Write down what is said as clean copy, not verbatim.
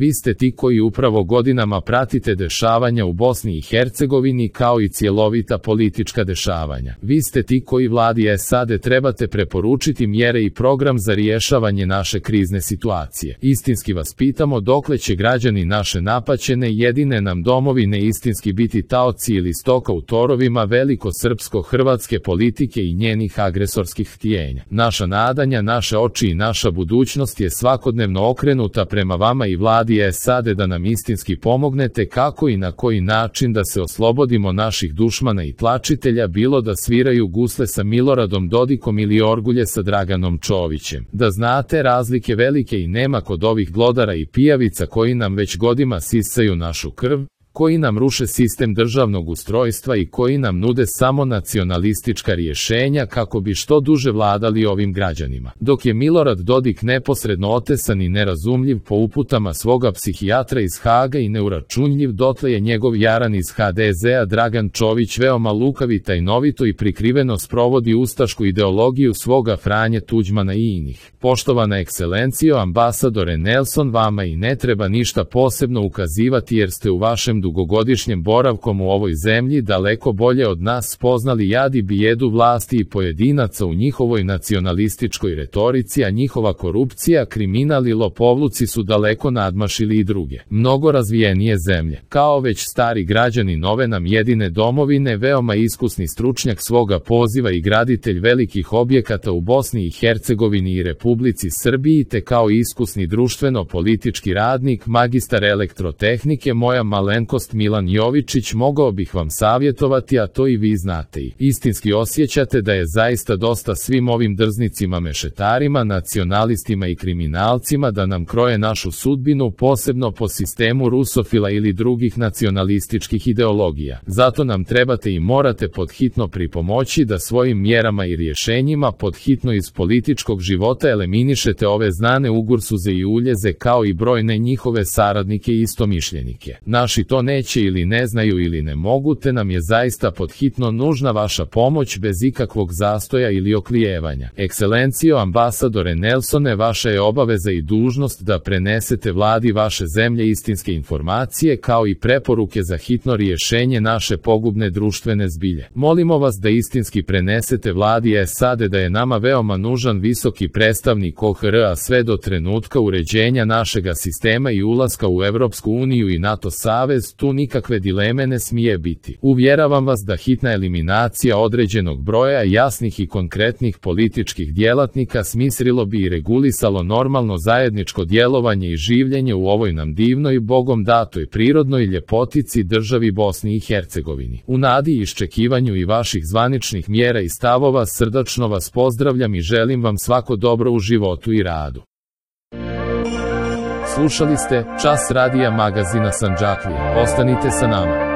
Vi ste ti koji upravo godinama pratite dešavanja u Bosni i Hercegovini kao i cjelovita politička dešavanja. Vi ste ti koji vladi SAD trebate preporučiti mjere i program za rješavanje naše krizne situacije. Istinski vas pitamo dokle će građani naše napaćene jedine nam domovine istinski biti taoci ili stoka u torovima veliko-srpsko-hrvatske politike i njenih agresorskih htjenja. Naša nadanja, naše oči i naša budućnost je svakodnevno okrenuta prema vama i vladi SAD da nam istinski pomognete kako i na koji način da se oslobodimo naših dušmana i tlačitelja, bilo da sviraju gusle sa Miloradom Dodikom ili orgulje sa Draganom Čovićem. Da znate razlike velike i nema kod ovih glodara i pijavica koji nam već godinama sisaju našu krv, koji nam ruše sistem državnog ustrojstva i koji nam nude samo nacionalistička rješenja kako bi što duže vladali ovim građanima. Dok je Milorad Dodik neposredno otesan i nerazumljiv po uputama svoga psihijatra iz Haga i neuračunljiv, dotle je njegov jaran iz HDZ-a Dragan Čović veoma lukav i tajnovito i prikriveno sprovodi ustašku ideologiju svoga Franje Tuđmana i inih. Poštovana ekscelencijo, ambasadore Nelson, vama i ne treba ništa posebno ukazivati jer ste u vašem dugogodišnjem boravkom u ovoj zemlji daleko bolje od nas spoznali jad i bijedu vlasti i pojedinaca u njihovoj nacionalističkoj retorici, a njihova korupcija, kriminal i lopovluci su daleko nadmašili i druge, mnogo razvijenije zemlje. Kao već stari građani nove nam jedine domovine, veoma iskusni stručnjak svoga poziva i graditelj velikih objekata u Bosni i Hercegovini i Republici Srbiji, te kao iskusni društveno-politički radnik, magistar elektrotehnike, moja malenkost Milan Jovičić, mogao bih vam savjetovati, a to i vi znate i istinski osjećate, da je zaista dosta svim ovim drznicima, mešetarima, nacionalistima i kriminalcima da nam kroje našu sudbinu, posebno po sistemu rusofila ili drugih nacionalističkih ideologija. Zato nam trebate i morate podhitno pripomoći da svojim mjerama i rješenjima podhitno iz političkog života eliminišete ove znane ugursuze i uljeze kao i brojne njihove saradnike i istomišljenike. Naši to neće ili ne znaju ili ne mogu, te nam je zaista podhitno nužna vaša pomoć bez ikakvog zastoja ili oklijevanja. Ekscelencijo, ambasadore Nelsone, vaša je obaveza i dužnost da prenesete vladi vaše zemlje istinske informacije kao i preporuke za hitno rješenje naše pogubne društvene zbilje. Molimo vas da istinski prenesete vladi SAD da je nama veoma nužan visoki predstavnik OHR-a sve do trenutka uređenja našega sistema i ulaska u Evropsku uniju i NATO savez. Tu nikakve dileme ne smije biti. Uvjeravam vas da hitna eliminacija određenog broja jasnih i konkretnih političkih djelatnika smislilo bi i regulisalo normalno zajedničko djelovanje i življenje u ovoj nam divnoj, Bogom datoj prirodnoj ljepotici državi Bosni i Hercegovini. U nadi i iščekivanju i vaših zvaničnih mjera i stavova srdačno vas pozdravljam i želim vam svako dobro u životu i radu. Slušali ste Čas radija magazina Sandžaklija. Ostanite sa nama.